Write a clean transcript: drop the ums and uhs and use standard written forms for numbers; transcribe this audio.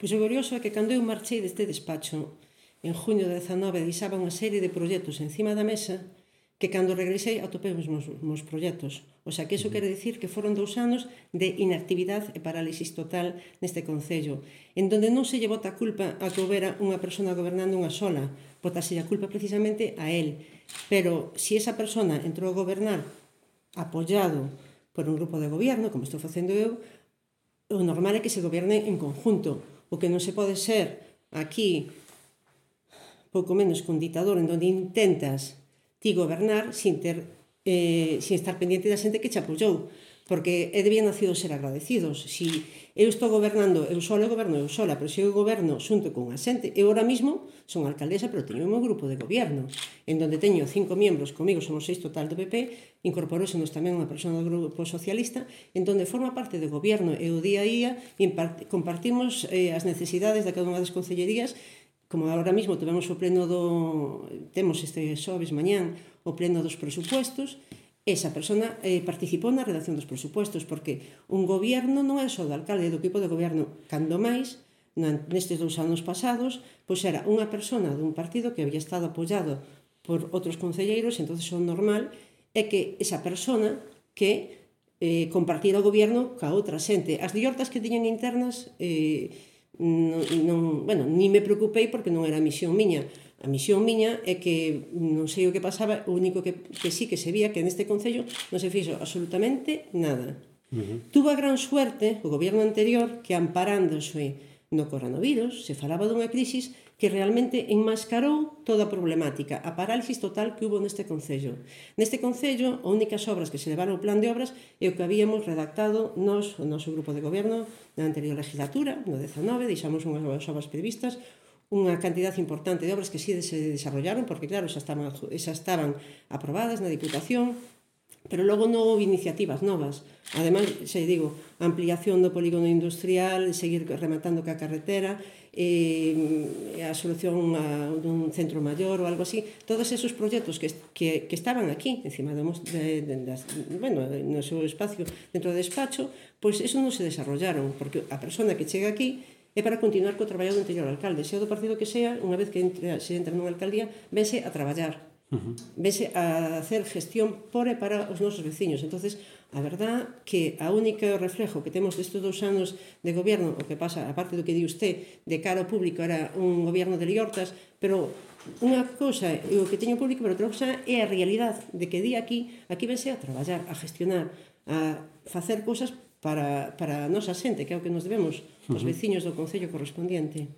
Pois o curioso é que cando eu marchei deste despacho en junio de 19 deixaba unha serie de proxectos encima da mesa que cando regresei atopei os meus proxectos. O sea, que iso quere dicir que foron 2 anos de inactividade e parálisis total neste Concello, en donde non se lle bota a culpa a que houbera unha persona gobernando unha sola, botase a culpa precisamente a él. Pero se esa persona entrou a gobernar apoiado por un grupo de gobierno, como estou facendo eu, o normal é que se gobierne en conjunto. O que non se pode ser aquí pouco menos que un ditador en donde intentas ti gobernar sin estar pendiente da xente que che apoiou, porque debían nacido ser agradecidos. Si eu estou gobernando eu sola, goberno eu sola, pero se eu goberno xunto con a xente, eu ahora mismo son alcaldesa, pero teño o meu grupo de goberno, en donde teño 5 membros, comigo somos 6 total do PP, incorporósenos tamén unha persona do grupo socialista, en donde forma parte do goberno e o día a día compartimos as necesidades de cada unha das concellerías. Como agora mesmo temos este xoves mañán o pleno dos presupuestos, esa persona participou na redacción dos presupuestos, porque un goberno non é só do alcalde, do equipo de goberno, cando máis, nestes 2 anos pasados, pois era unha persona dun partido que había estado apoiado por outros concelleiros, entonces o normal é que esa persona que compartira o goberno ca outra xente. As diortas que tiñan internas ni me preocupei porque non era a misión miña. A misión miña é que non sei o que pasaba, o único que sí que se vía que neste Concello non se fixo absolutamente nada. Tuvo a gran suerte o goberno anterior que, amparándose no coronavirus, se falaba dunha crisis que realmente enmascarou toda a problemática, a parálisis total que hubo neste Concello. Neste Concello, as únicas obras que se levaron ao plan de obras é o que habíamos redactado o noso grupo de goberno na anterior legislatura, no 19, deixamos unhas obras previstas, unha cantidad importante de obras que sí se desarrollaron, porque claro, xa estaban aprobadas na Diputación, pero logo non houve iniciativas novas. Ademais, xa digo, a ampliación do polígono industrial, seguir rematando ca carretera, a solución dun centro maior ou algo así, todos esos proxectos que estaban aquí, encima no seu espacio dentro do despacho, pois eso non se desarrollaron, porque a persona que chega aquí é para continuar co traballo do anterior alcalde, sea do partido que sea, unha vez que se entra nunha alcaldía, vense a traballar, vense a hacer gestión por e para os nosos veciños. Entonces, a verdad que a única reflejo que temos destes 2 anos de goberno, o que pasa, aparte do que di usted, de cara ao público era un goberno de liortas, pero unha cousa é o que teño público, pero outra cousa é a realidade de que di aquí vense a traballar, a gestionar, a facer cousas para a nosa xente, que é o que nos debemos os veciños do Concello correspondiente.